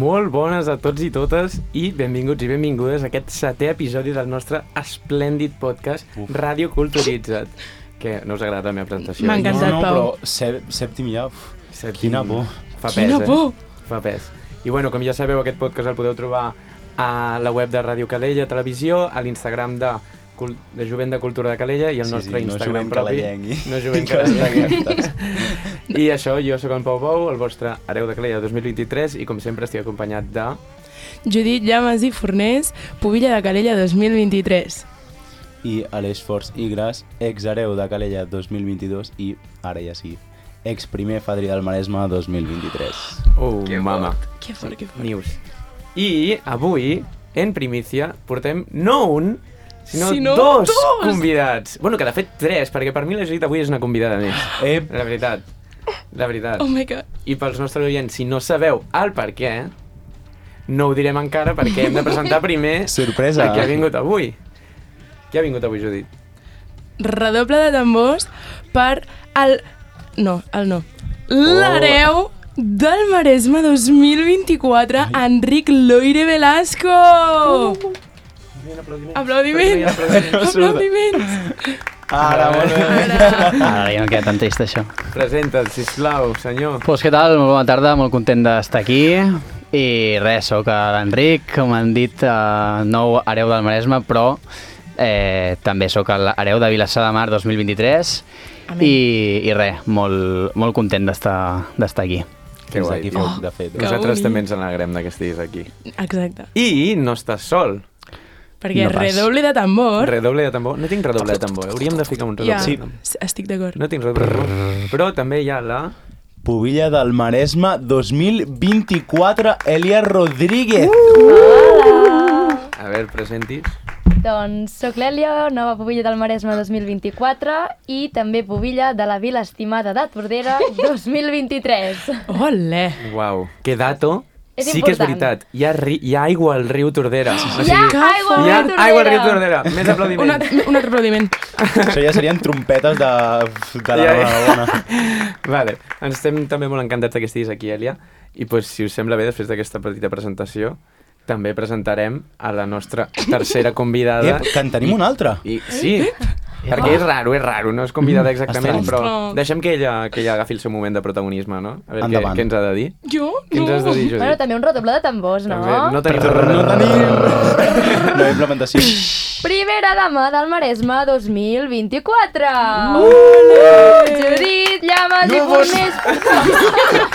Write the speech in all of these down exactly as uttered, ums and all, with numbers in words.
Molt bones a tots i totes i benvinguts i benvingudes a aquest setè episodi del nostre esplèndid podcast Uf. Ràdio Culturitzat. Que no us agrada la meva presentació? M'ha encantat, no, no, Pau. però sè- sèptim ja, uf, Sèptim. quina por. Fa pes, Quina eh? por! Fa pes. I bueno, com ja sabeu, aquest podcast el podeu trobar a la web de Ràdio Calella Televisió, a l'Instagram de, Cul- de Jovent de Cultura de Calella i el Sí, nostre sí, no Instagram jovent propi. calellenc. No jovent calellenc. I això, jo sóc en Pau Pau, el vostre hereu de Calella dos mil vint-i-tres i com sempre estic acompanyat de... Judit Llamas i Fornés, Pubilla de Calella dos mil vint-i-tres. I Aleix Forts i Gras, ex-hereu de Calella dos mil vint-i-dos i, ara ja sí, ex-primer fadrí del Maresme dos mil vint-i-tres. Oh, Que mama. Que fort, que fort. News. I avui, en primícia, portem no un, sinó, Sinó dos, dos! convidats. Bueno, que de fet tres, perquè per mi la Judit avui és una convidada més. Ep, La veritat. La veritat. Oh my god. I pels nostres oients, si no sabeu el per què, no ho direm encara perquè hem de presentar primer sorpresa. a qui ha vingut avui. Qui ha vingut avui, Judit? Redoble de tambors per el... No, el no. L'hereu del Maresme dos mil vint-i-quatre, Enric Loire Velasco! Aplaudiments! Aplaudiments! Ara, molt bé. Ara ja no queda tan trist, això. Presenta't, sisplau, senyor. Pues què tal? Molt bona tarda, molt content d'estar aquí. I res, sóc l'Enric, com han dit, eh, nou hereu del Maresme, però eh, també sóc l'hereu de Vilassar de Mar dos mil vint-i-tres. I, i res, molt, molt content d'estar d'estar aquí. Que Fins guai. aquí, Oh. fet, de fet. Que Nosaltres bonic. també ens alegrem de que estiguis aquí. Exacte. I no estàs sol. Perquè No pas. redoble de tambor... Redoble de tambor. No tinc redoble de tambor. Hauríem de ficar un redoble Ja, de tambor. estic d'acord. No tinc redoble de tambor. Però també hi ha la... Pubilla del Maresme dos mil vint-i-quatre, Elia Rodríguez. A veure, presentis. Doncs sóc l'Èlia, nova pubilla del Maresme dos mil vint-i-quatre i també pubilla de la Vila Estimada de Tordera dos mil vint-i-tres. Ole! Uau, que dato. És sí que és important. veritat. Hi ha, ri... hi ha aigua al riu Tordera. O Hi ha aigua hi ha a Tordera! aigua al riu Tordera. Més Un, aplaudiments. altre- un altre aplaudiment. Això ja serien trompetes de, de la Ja, ja. Barcelona. Vale, ens estem també molt encantats que estiguis aquí, Èlia. I pues, si us sembla bé, després d'aquesta petita presentació, també presentarem a la nostra tercera convidada. Ep, que en tenim una altra. I, sí, perquè és raro, és raro, no és convidada exactament, estrany. però Ostres. deixem que ella, que ella agafi el seu moment de protagonisme, no? A veure què, Endavant. què ens ha de dir. Jo? Què ens has de dir, Judit? Bueno, també un redoble de tambors, no? També, no tenim No redoble. tenim. No implementació. Primera dama del Maresme dos mil vint-i-quatre. Judit Llamas i Fornés.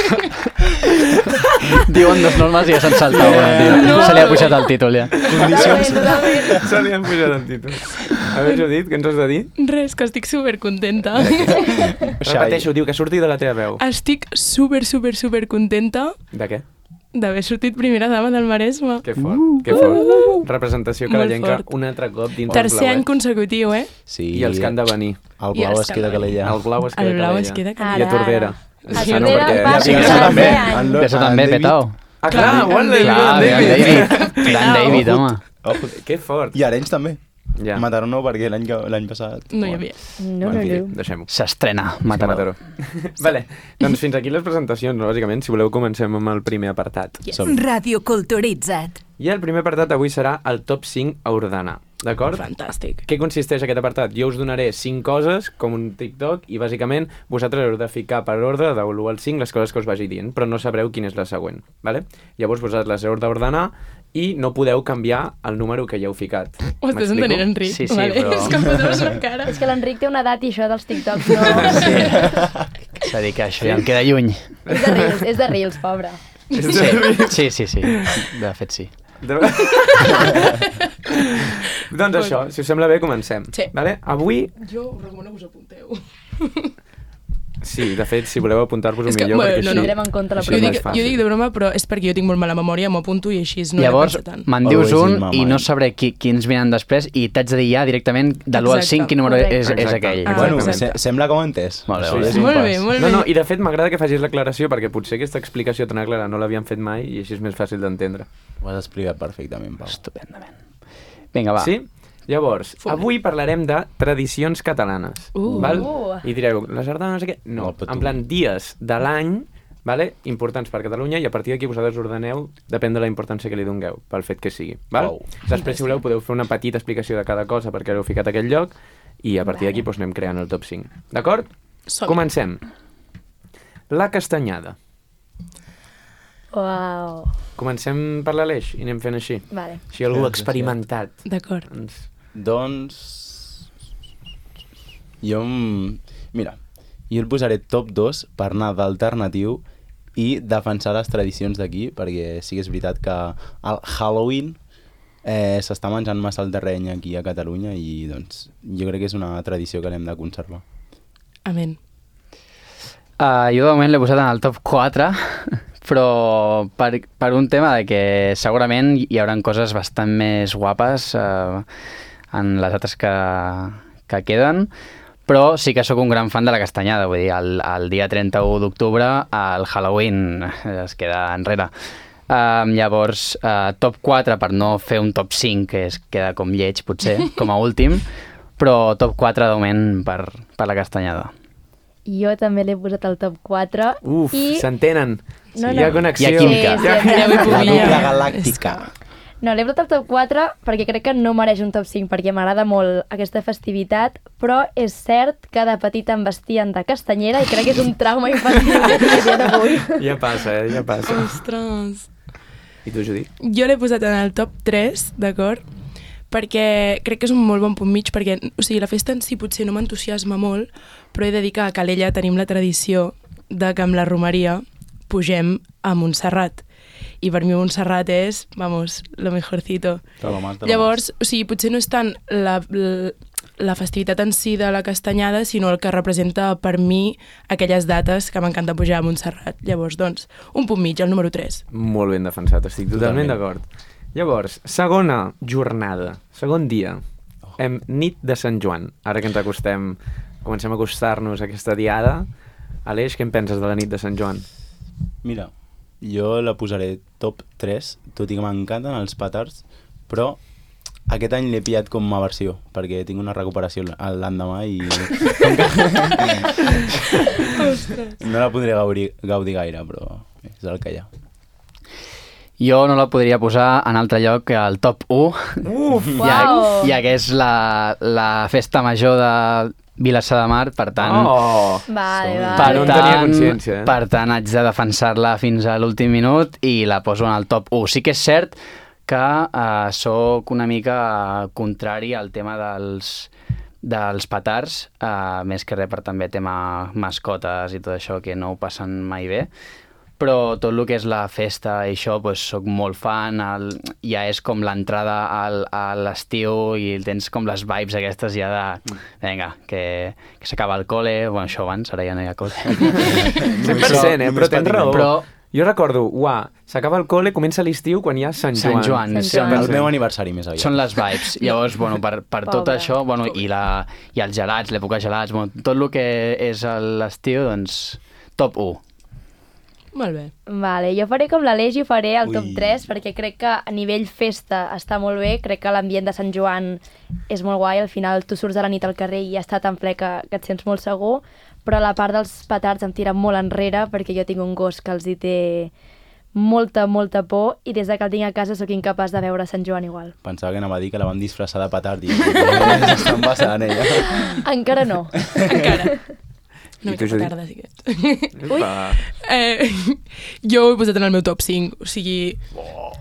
Diuen dos normes i ja s'han saltat una, tio. No. Se li ha pujat el títol, ja. Totalment, totalment. Se li han pujat el títol. A veure, Judit, què ens has de dir? Res, que estic supercontenta. Repeteixo, diu que surti de la teva veu. Estic super, super, super contenta De què? d'haver sortit primera dama del Maresme. Que fort, que fort. Representació Molt calellenca fort. un altre cop dins Tercer any del blauet. consecutiu, eh? Sí. I els que han de venir. El I blau els es queda que Calella. El blau es queda El blau Calella. es queda Ara, I a Tordera. ara. Ah, A no, Tordera perquè- va Sí, ser això el també. tercer any. Això també, petao. Ah, clar, Clar, igual David. Clar, David. Gran David, home. Ojo. Que fort. I Arenys també. Ja. Mataró no, perquè l'any que- l'any passat... No hi havia. No, no, En fi, no. deixem-ho. S'estrena, Mataró. Mataró. Vale, doncs fins aquí les presentacions, no? Bàsicament, si voleu comencem amb el primer apartat. Som. Ràdio Culturitzat. I el primer apartat avui serà el top cinc a ordenar, d'acord? Fantàstic. Què consisteix aquest apartat? Jo us donaré cinc coses, com un TikTok, i bàsicament vosaltres heu de ficar per ordre de l'u al cinc les coses que us vagi dient, però no sabreu quina és la següent, vale? Llavors vosaltres les heu d'ordenar i no podeu canviar el número que ja heu ficat. Ho estàs M'explico? entenent, Enric? Sí, sí, vale? però- És que em posaves la cara. És que l'Enric té una edat i això dels TikToks no... Sí. És a dir, que això ja em queda lluny. És de Reels, és de Reels, pobre. És Sí, de- sí, sí, sí. De fet, sí. De... doncs això, si us sembla bé, comencem. Sí. Vale? Avui, Jo us recomano que us apunteu. sí, de fet, si voleu apuntar-vos-ho És que, millor, bueno, perquè no, així... no. Tindrem en compte la Això Jo és dic, més fàcil. jo dic de broma, però és perquè jo tinc molt mala memòria, m'apunto i així no Llavors, he de pensar tant. me'n dius Always in un my i no mind. sabré qui, quins venen després i t'haig de dir ja directament de l'u al Exacte. cinc quin número Correcte. és, és Exacte. aquell. Ah, Bueno, exacte. se sembla com entès. Molt bé, Això molt és bé. un Molt pas. bé, molt No, bé. no, i de fet m'agrada que facis l'aclaració perquè potser aquesta explicació tan clara no l'havíem fet mai i així és més fàcil d'entendre. Ho has explicat perfectament, Pau. Estupendament. Vinga, va. Sí? Llavors, Fum. avui parlarem de tradicions catalanes. Uh. Val? Uh. I direu, la sardana no sé què? No, No, però tu- en plan dies de l'any vale? Importants per Catalunya, i a partir d'aquí vosaltres ordeneu, depèn de la importància que li dongueu, pel fet que sigui. Val? Wow. Després, si voleu, podeu fer una petita explicació de cada cosa perquè l'heu ficat a aquell lloc, i a partir d'aquí doncs, anem creant el top cinc. D'acord? Som-hi. Comencem. La castanyada. Uau. Comencem per l'Aleix i anem fent així. Vale. Si algú Sí, experimentat. D'acord. Doncs... Doncs... Jo... em- Mira, jo el posaré top dos per anar d'alternatiu i defensar les tradicions d'aquí, perquè sí que és veritat que el Halloween eh, s'està menjant massa el terreny aquí a Catalunya i doncs jo crec que és una tradició que l'hem de conservar. Amén. Uh, jo de moment l'he posat en el top quatre, però per, per un tema de que segurament hi haurà coses bastant més guapes uh, en les dates que, que queden, però sí que sóc un gran fan de la castanyada, vull dir, el, el dia trenta-u d'octubre el Halloween es queda enrere. Uh, llavors, uh, top quatre per no fer un top cinc, que es queda com lleig potser, com a últim, però top quatre de moment per, per la castanyada. Jo també l'he posat al top quatre. Uf, i... s'entenen. No, Hi no. ha connexió. Hi ha química. Sí, sí, Ja vull La pujar. dupla galàctica. No, l'he posat al top quatre perquè crec que no mereix un top cinc, perquè m'agrada molt aquesta festivitat, però és cert que de petita em vestien de castanyera i crec que és un trauma infantil que tinc a dia d'avui. Ja passa, eh? Ja passa. Ostres. I tu, Judit? Jo l'he posat en el top tres, d'acord? Perquè crec que és un molt bon punt mig, perquè o sigui, la festa en si potser no m'entusiasma molt, però he de dir que a Calella tenim la tradició de que amb la romeria pugem a Montserrat. I per mi Montserrat és, vamos, lo mejorcito. De lo más, de lo Llavors, o sigui, potser no és tant la, la, la festivitat en si de la castanyada, sinó el que representa per mi aquelles dates que m'encanta pujar a Montserrat. Llavors, doncs, un punt mig, el número tres. Molt ben defensat, estic totalment, Totalment. d'acord. Llavors, segona jornada, segon dia, hem nit de Sant Joan. Ara que ens acostem, comencem a acostar-nos a aquesta diada. Aleix, què en penses de la nit de Sant Joan? Mira, jo la posaré top tres, tot i que m'encanten els petards, però aquest any l'he pillat com a versió, perquè tinc una recuperació l- l'endemà i no la podré gaudir, gaudir gaire, però és el que hi ha. Jo no la podria posar en altre lloc que al top u, Uf! ja, Uau. ja que és la, la festa major de Vilassar de Mar, per tant... Oh! Vale, Som-hi. vale. Per no en tant, tenia consciència, eh? per tant, haig de defensar-la fins a l'últim minut i la poso en el top u. Sí que és cert que uh, sóc una mica contrari al tema dels, dels petards, uh, més que res per també tema mascotes i tot això, que no ho passen mai bé. Però tot el que és la festa i això, pues, soc molt fan, el, ja és com l'entrada al, a l'estiu i tens com les vibes aquestes ja de, vinga, que, que s'acaba el col·le, bueno, això abans, ara ja no hi ha col·le. cent per cent, eh? Però tens raó. Però Jo recordo, uah, s'acaba el col·le, comença l'estiu quan hi ha Sant Joan. Sant Joan, Sant sí. Joan. El meu aniversari més aviat. Són les vibes. Llavors, bueno, per, per tot Pobre. això, bueno, i, la, i els gelats, l'època gelats, bueno, tot el que és l'estiu, doncs, top u. Molt bé. Vale, jo faré com l'Aleix i ho faré al top Ui. tres perquè crec que a nivell festa està molt bé, crec que l'ambient de Sant Joan és molt guai, al final tu surts a la nit al carrer i ja està tan ple que, que et sents molt segur, però la part dels petards em tira molt enrere perquè jo tinc un gos que els hi té molta, molta por i des de que el tinc a casa sóc incapaç de veure Sant Joan igual. Pensava que anava a dir que la van disfressar de petard i s'estan passant ella. Encara no. Encara. I Una tu, mica Judit? tarda, sí que... Ui. Upa. Eh, jo ho he posat en el meu top cinc, o sigui...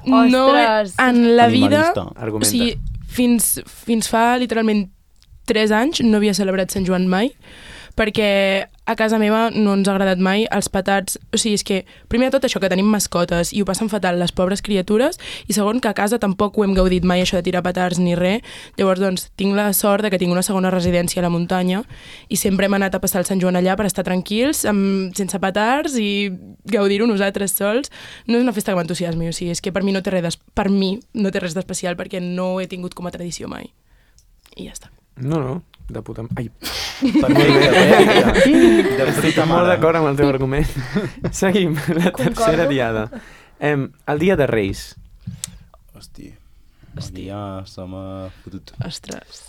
No, Ostres. en la vida... Animalista. Argumenta. O sigui, fins, fins fa literalment tres anys no havia celebrat Sant Joan mai, perquè a casa meva no ens ha agradat mai els petards. O sigui, és que, primer de tot això, que tenim mascotes i ho passen fatal les pobres criatures, i segon, que a casa tampoc ho hem gaudit mai, això de tirar petards ni res. Llavors, doncs, tinc la sort de que tinc una segona residència a la muntanya i sempre hem anat a passar el Sant Joan allà per estar tranquils, amb, sense petards i gaudir-ho nosaltres sols. No és una festa que m'entusiasmi, o sigui, és que per mi no té res d'es- per mi no té res d'especial perquè no ho he tingut com a tradició mai. I ja està. No, no, de puta... Ai, Per mi, de de estic puta molt mare. d'acord amb el teu argument. Seguim, la Concordo. tercera diada. Em, el dia de Reis. Hosti. Aquí ja se m'ha fotut. Ostres.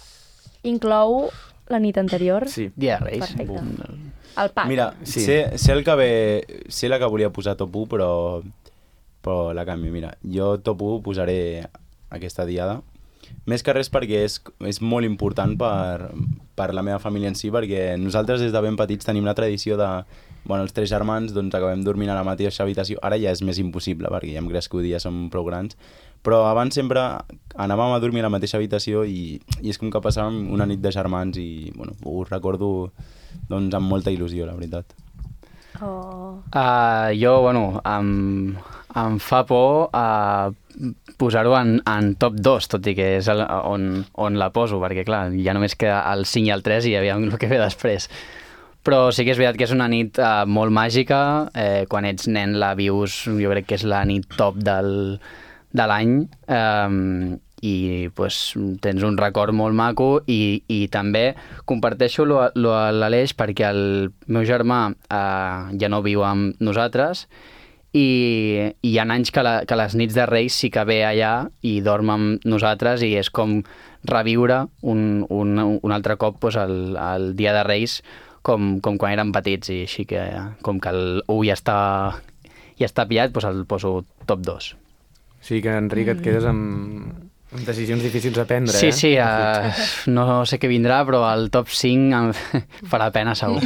Inclou la nit anterior. Sí. Dia de Reis. Perfecte. Bum. El pack. Mira, Sí. sé, sé, el que ve, sé la que volia posar top u, però, però la canvio. Mira, jo top u posaré aquesta diada. Més que res perquè és, és molt important per, per la meva família en si, perquè nosaltres des de ben petits tenim la tradició de... Bueno, els tres germans doncs, acabem dormint a la mateixa habitació. Ara ja és més impossible, perquè ja hem crescut i ja som prou grans. Però abans sempre anàvem a dormir a la mateixa habitació i, i és com que passàvem una nit de germans i bueno, ho recordo doncs, amb molta il·lusió, la veritat. Oh. Uh, jo, bueno, em, em fa por uh, posar-ho en, en top dos, tot i que és el, on, on la poso, perquè clar, ja només queda el cinc i el tres i aviam el que ve després. Però sí que és veritat que és una nit uh, molt màgica, eh, quan ets nen la vius, jo crec que és la nit top del, de l'any, um, i pues, tens un record molt maco i, i també comparteixo lo, lo, l'Aleix perquè el meu germà uh, ja no viu amb nosaltres i, i hi ha anys que, la, que les nits de Reis sí que ve allà i dorm amb nosaltres i és com reviure un, un, un altre cop pues, el, el dia de Reis com, com quan érem petits i així que com que el u ja està, ja està pillat, doncs el poso top dos. Sí que, Enric, et quedes amb, amb decisions difícils a prendre, sí, eh? Sí, uh, no sé què vindrà, però el top cinc em farà pena segur.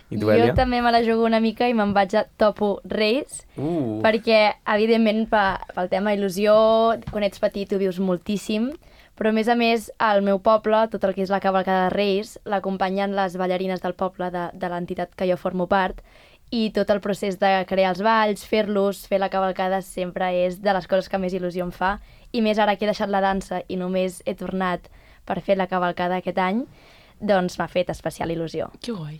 I tu, Èlia? Jo també me la jugo una mica i me'n vaig a top u Reis, Uh. perquè, evidentment, pel tema il·lusió, quan ets petit ho vius moltíssim, però a més a més, al meu poble, tot el que és la cavalcada de Reis, l'acompanyen les ballarines del poble de, de l'entitat que jo formo part, i tot el procés de crear els balls, fer-los, fer la cavalcada, sempre és de les coses que més il·lusió em fa, i més ara que he deixat la dansa i només he tornat per fer la cavalcada aquest any, doncs m'ha fet especial il·lusió. Que guai.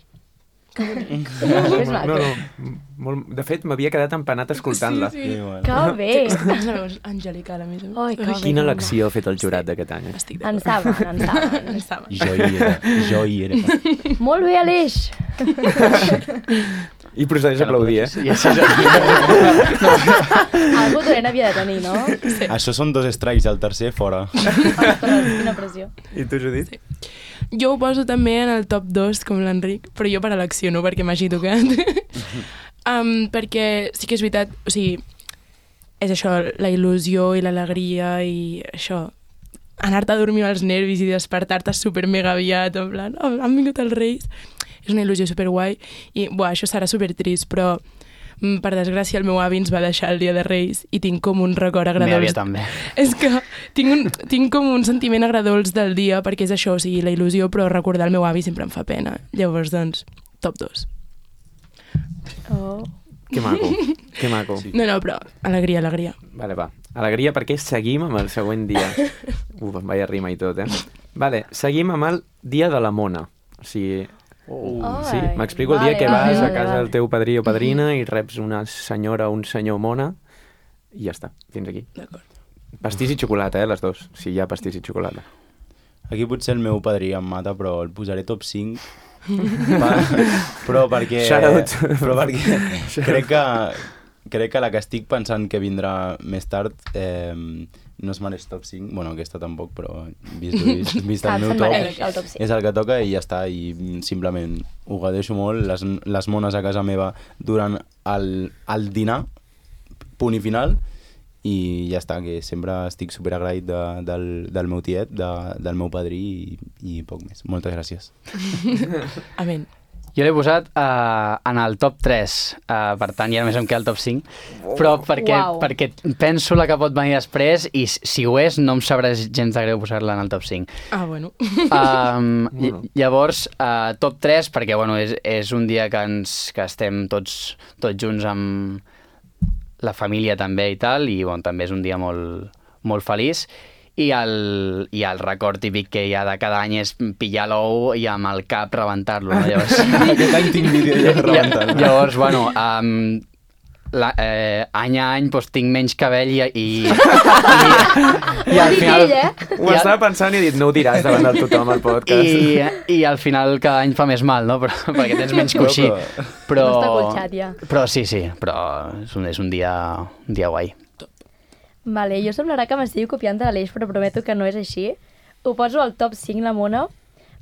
És maco. No, no, molt... De fet, m'havia quedat empanat escoltant-la. Sí, sí. Que bé! És la veu angelical, a més a més. Ai, que bé. Quina elecció ha fet el jurat d'aquest any? Eh? Estic En d'acord. saben, en saben. En saben. Jo hi era, jo hi era. Molt bé, Aleix! I procedeix a aplaudir, eh? I així és. Algú dolent havia de tenir, no? Sí. Això són dos strikes, el tercer fora. Ostres, quina pressió. I tu, Judit? Sí. Jo ho poso també en el top dos, com l'Enric, però jo per elecció, no perquè m'hagi tocat. um, perquè sí que és veritat, o sigui, és això, la il·lusió i l'alegria i això, anar-te a dormir als nervis i despertar-te super mega aviat, en plan, oh, han vingut els Reis. És una il·lusió superguai i, buah, això serà super trist, però mm, per desgràcia el meu avi ens va deixar el dia de Reis i tinc com un record Meva agradable. àvia també. És que tinc, un, tinc com un sentiment agradolç del dia perquè és això, o sigui, la il·lusió, però recordar el meu avi sempre em fa pena. Llavors, doncs, top dos. Oh. Que maco, que maco. Sí. No, no, però alegria, alegria. Vale, va. Alegria perquè seguim amb el següent dia. Uf, em vaia rima i tot, eh? Vale, seguim amb el dia de la mona. O sigui... Uh. Sí, Ai, m'explico el dia vale, que vale, vas a vale, casa vale. del teu padrí o padrina i reps una senyora o un senyor mona i ja està, fins aquí. D'acord. Pastís i xocolata, eh, les dos. Si hi ha pastís i xocolata. Aquí potser el meu padrí em mata, però el posaré top cinc. per, però perquè... Shout out. Però perquè crec que, crec que la que estic pensant que vindrà més tard eh, no es mereix top cinc. Bueno, aquesta tampoc, però vist, vist, vist el Ah, meu se'n top, mereix el top cinc. és el que toca i ja està. I simplement ho gadeixo molt. Les, les mones a casa meva durant el, el dinar, punt i final, i ja està, que sempre estic superagraït de, del, del meu tiet, de, del meu padrí i, i poc més. Moltes gràcies. Amén. Jo l'he posat uh, en el top tres, uh, per tant ja només em queda el top cinc, però perquè, Uau. perquè penso la que pot venir després i si ho és no em sabrà gens de greu posar-la en el top cinc. Ah, bueno. Um, Bueno. llavors, uh, top tres, perquè bueno, és, és un dia que, ens, que estem tots, tots junts amb la família també i tal, i bueno, també és un dia molt, molt feliç. I el, I el record típic que hi ha de cada any és pillar l'ou i amb el cap rebentar-lo. No? Llavors, Aquest any tinc vídeo ja rebentant. llavors, bueno, um, la, eh, any a any doncs, tinc menys cabell i, i, i, i al final... Ell, eh? Ho i al- estava pensant i he dit, no ho diràs davant de tothom al podcast. I, I al final cada any fa més mal, no? Però, perquè tens menys coixí. Però, No està colxat, ja. però sí, sí, però és un, és un dia, un dia guai. Vale, jo semblarà que m'estigui copiant de l'Aleix, però prometo que no és així. Ho poso al top cinc, la mona,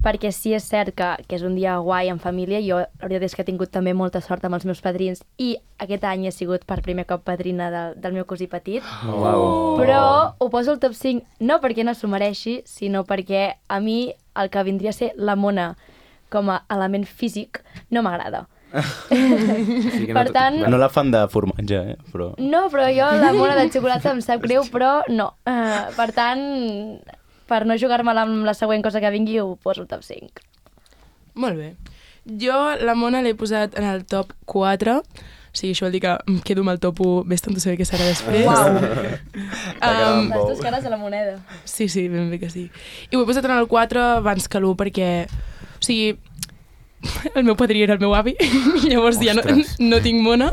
perquè sí és cert que, que és un dia guai en família. Jo la veritat és que he tingut també molta sort amb els meus padrins i aquest any he sigut per primer cop padrina del, del meu cosí petit. Oh, wow. Però ho poso al top cinc no perquè no s'ho mereixi, sinó perquè a mi el que vindria a ser la mona com a element físic no m'agrada. Sí que no Per t- tant, No la fan de formatge, eh? Però... no, però jo la mona de xocolata em sap greu, però no. Uh, per tant, per no jugar-me-la amb la següent cosa que vingui, ho poso al top cinc. Molt bé. Jo la Mona l'he posat en el top quatre, o sigui, això vol dir que em quedo amb el top un, ves tanto saber què serà després. Uau. Um, Les dues cares de la moneda. sí, sí, ben bé que sí. I ho he posat en el quatre abans que l'u perquè, o sigui, el meu padrí era el meu avi, i llavors ja no, Ostres. no tinc Mona.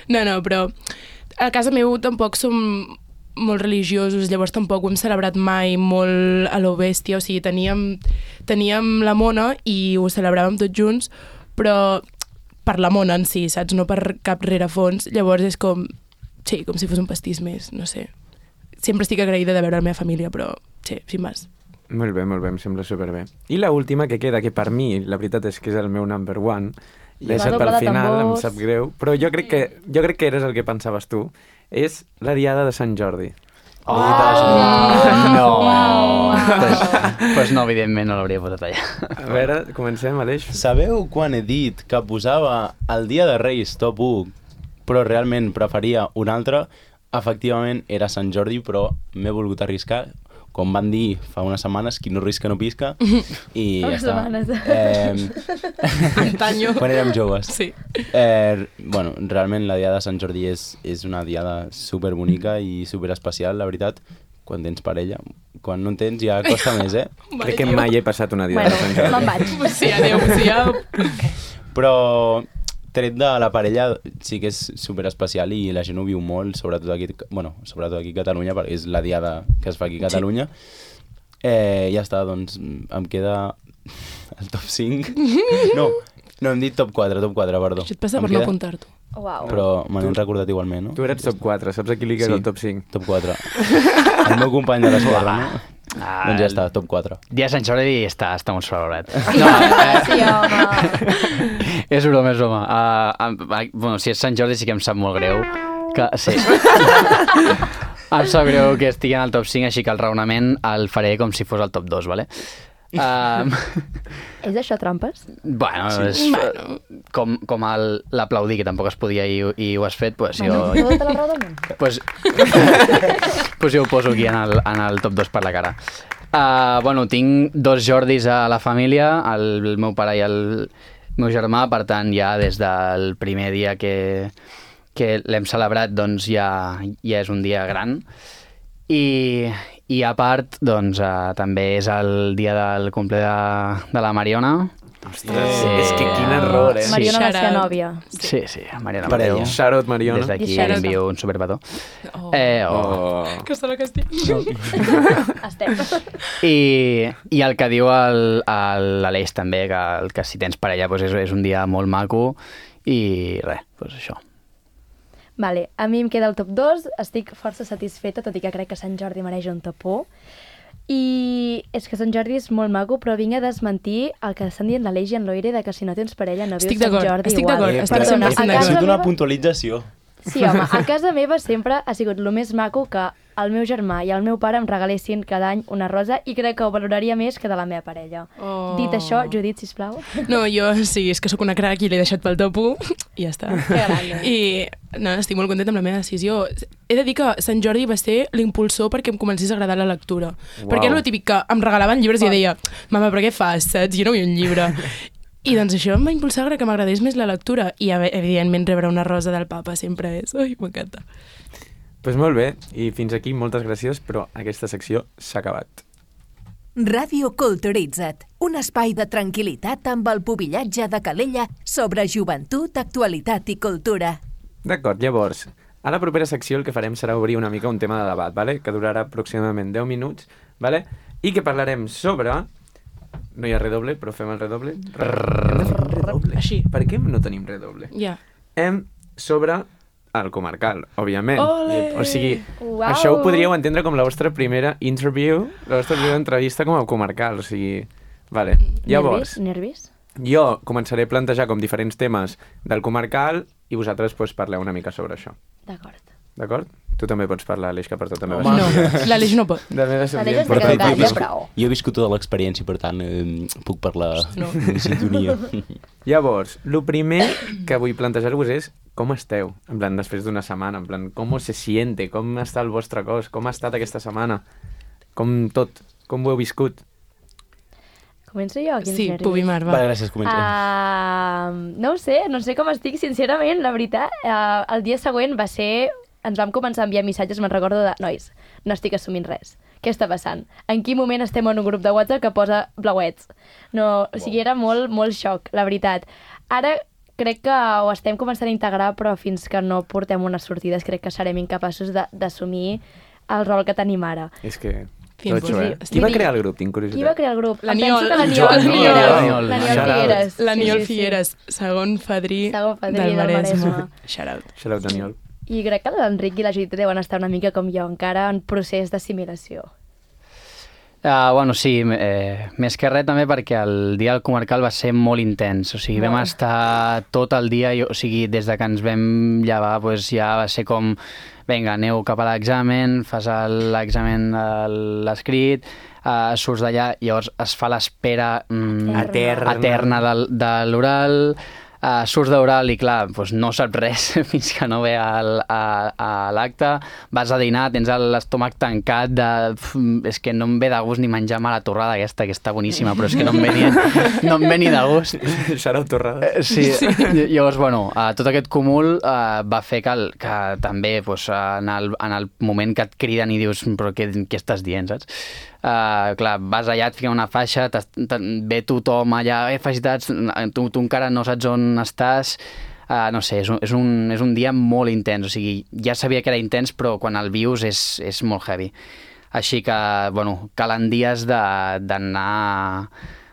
No, no, però a casa meu tampoc som molt religiosos, llavors tampoc ho hem celebrat mai molt a lo bèstia, o sigui, teníem, teníem la Mona i ho celebràvem tots junts, però per la Mona en si, saps? No per cap rerefons, llavors és com, sí, com si fos un pastís més, no sé. Sempre estic agraïda de veure la meva família, però sí, sin més. Molt bé, molt bé, em sembla superbé. I la última que queda, que per mi, la veritat és que és el meu number one, l'he va deixat doble pel de final, em tambors. sap greu, però jo crec que, jo crec que eres el que pensaves tu, és la diada de Sant Jordi. Oh, Uau! no! Uau! Pues, pues no, evidentment no l'hauria posat allà. A veure, comencem, Aleix. Sabeu quan he dit que posava el Dia de Reis top u, però realment preferia un altre? Efectivament era Sant Jordi, però m'he volgut arriscar. Com van dir fa unes setmanes, qui no risca no pisca, i ja Unes està. setmanes. Eh, Antaño. quan érem joves. Sí. Eh, bueno, realment la diada de Sant Jordi és, és una diada superbonica i superespecial, la veritat, quan tens parella. Quan no en tens ja costa més, eh? Crec que mai he passat una diada Bueno, de Sant Jordi. me'n vaig. Sí, adéu, sí, ja... Però tret de la parella sí que és superespecial i la gent ho viu molt, sobretot aquí, bueno, sobretot aquí a Catalunya, perquè és la diada que es fa aquí a Catalunya. Eh, ja està, doncs em queda el top cinc. No, no, hem dit top quatre, top quatre, perdó. Això et passa Em per no queda- apuntar-t'ho. Uau. Però me n'he recordat igualment, no? Tu eres top quatre, saps a qui li queda el top cinc? Top quatre. El meu company de l'esquadra, no? Ah, Doncs ja està, top quatre. Dia de Sant Jordi està, està molt sobrevalorat. No, eh, Sí, home. és broma, és broma. Uh, uh, bueno, si és Sant Jordi sí que em sap molt greu. Que, sí. Em sap greu que estigui en el top cinc, així que el raonament el faré com si fos el top dos, vale? Um, És això trampes? bueno, és Bueno. com, com el- l'aplaudir, que tampoc es podia i, i ho has fet, pues jo, Bueno, tota la raó del món. pues, pues jo ho poso aquí en el, en el top dos per la cara. Uh, bueno, tinc dos Jordis a la família, el, el meu pare i el meu germà, per tant, ja des del primer dia que, que l'hem celebrat, doncs ja, ja és un dia gran. I, i a part, doncs, uh, també és el dia del cumple de, de la Mariona. Ostres, és que quin error, eh? Sí. Mariona va Shout ser out. nòvia. Sí, sí, Mariona Parella. Mateu. Shout out, Mariona. Des d'aquí I shout out. envio un superpetó. Oh. Eh, oh. Oh. Que està la castig. Estem. I, I el que diu el- el- l'Aleix també, que, el, que si tens parella doncs és, és un dia molt maco i res, doncs això. Vale, a mi em queda el top dos, estic força satisfeta, tot i que crec que Sant Jordi mereix un top u. I és que Sant Jordi és molt maco, però vinc a desmentir el que estan dient l'Aleix i en Loire de que si no tens parella no Estic vius Sant d'acord, Jordi estic igual. d'acord, Eh, estic però Perdona, cent per cent a ha casa sigut una meva- puntualització. Sí, home, a casa meva sempre ha sigut el més maco que el meu germà i el meu pare em regalessin cada any una rosa i crec que ho valoraria més que de la meva parella. Oh. Dit això, Judit, sisplau. No, jo sí, és que sóc una crac i l'he deixat pel top u i ja està. Que grande. I no, estic molt contenta amb la meva decisió. He de dir que Sant Jordi va ser l'impulsor perquè em comencés a agradar la lectura. Uau. Perquè era el típic que em regalaven llibres i jo deia, mama, però què fas, saps? Jo no vull un llibre. I doncs això em va impulsar a que m'agradés més la lectura. I evidentment rebre una rosa del papa sempre és... Ai, m'encanta. Pues molt bé, i fins aquí moltes gràcies, però aquesta secció s'ha acabat. Ràdio Culturitza't, un espai de tranquil·litat amb el pubillatge de Calella sobre joventut, actualitat i cultura. D'acord, llavors, a la propera secció el que farem serà obrir una mica un tema de debat, vale? Que durarà aproximadament deu minuts, vale? I que parlarem sobre... No hi ha redoble, però fem el redoble. Hem de fer un redoble. Així. Per què no tenim redoble? Ja. Hem sobre el comarcal, òbviament. Ole! O sigui, Uau! això ho podríeu entendre com la vostra primera interview, la vostra primera entrevista com a comarcal, o sigui, Vale. Llavors, Nervis? jo començaré a plantejar com diferents temes del comarcal i vosaltres pues, parleu una mica sobre això. D'acord. D'acord? Tu també pots parlar, Aleix, que per tu també No, l'Aleix no pot. De meva L'Aleix per està tu. caducat, jo, he ja viscut, prou. jo he viscut tota l'experiència, per tant, eh, puc parlar No. en sintonia. Llavors, el primer que vull plantejar-vos és com esteu, en plan, després d'una setmana, en plan, com se siente, com està el vostre cos, com ha estat aquesta setmana, com tot, com ho heu viscut. Començo jo? Quins Sí, nervis? Pubimar, va. Vale, gràcies, comença. Uh, no ho sé, no sé com estic, sincerament, la veritat. Uh, el dia següent va ser... Ens vam començar a enviar missatges, me'n recordo de... Nois, no estic assumint res. Què està passant? En quin moment estem en un grup de WhatsApp que posa blauets? No, o sigui, era molt, molt xoc, la veritat. Ara crec que ho estem començant a integrar, però fins que no portem unes sortides crec que serem incapaços de- d'assumir el rol que tenim ara. És que... Fins Totxo, eh? sí. Qui va crear el grup? Tinc curiositat. Qui va crear el grup? La Em penso Niol. que la Joan Niol Niol. Figueres. Niol. La Niol Shout out. Figueres. L'Aniol Sí, sí, sí. Figueres, segon fadrí, Segon fadrí del del Maresme. Maresme. Shout out. Shout out, Daniel. I crec que l'Enric i la Judit deuen estar una mica com jo, encara en procés d'assimilació. Uh, bueno, sí, eh, més que res també perquè el dia del comarcal va ser molt intens, o sigui, vam Molt. estar tot el dia, i, o sigui, des de que ens vam llevar, pues, ja va ser com, vinga, aneu cap a l'examen, fas el- l'examen de l'escrit, uh, surts d'allà, llavors es fa l'espera mm, Eterna. eterna de, de l'oral, uh, surts d'oral i clar, doncs no saps res fins que no ve al, a, a l'acte, vas a dinar, tens l'estómac tancat de... Uf, és que no em ve de gust ni menjar mala torrada aquesta, que està boníssima, però és que no em ve ni, no em ve ni de gust. Shout out, Torrada. Eh, Sí, sí. Llavors, bueno, uh, tot aquest cúmul uh, va fer que, el, que també pues, en, el, en el moment que et criden i dius però què, què estàs dient, saps? Uh, clar, vas allà, et fiquen una faixa, t'es- te, ve tothom allà, eh, felicitats, tu, tu encara no saps on estàs, uh, no sé, és un, és, un, és un dia molt intens, o sigui, ja sabia que era intens, però quan el vius és, és molt heavy. Així que, bueno, calen dies de- d'anar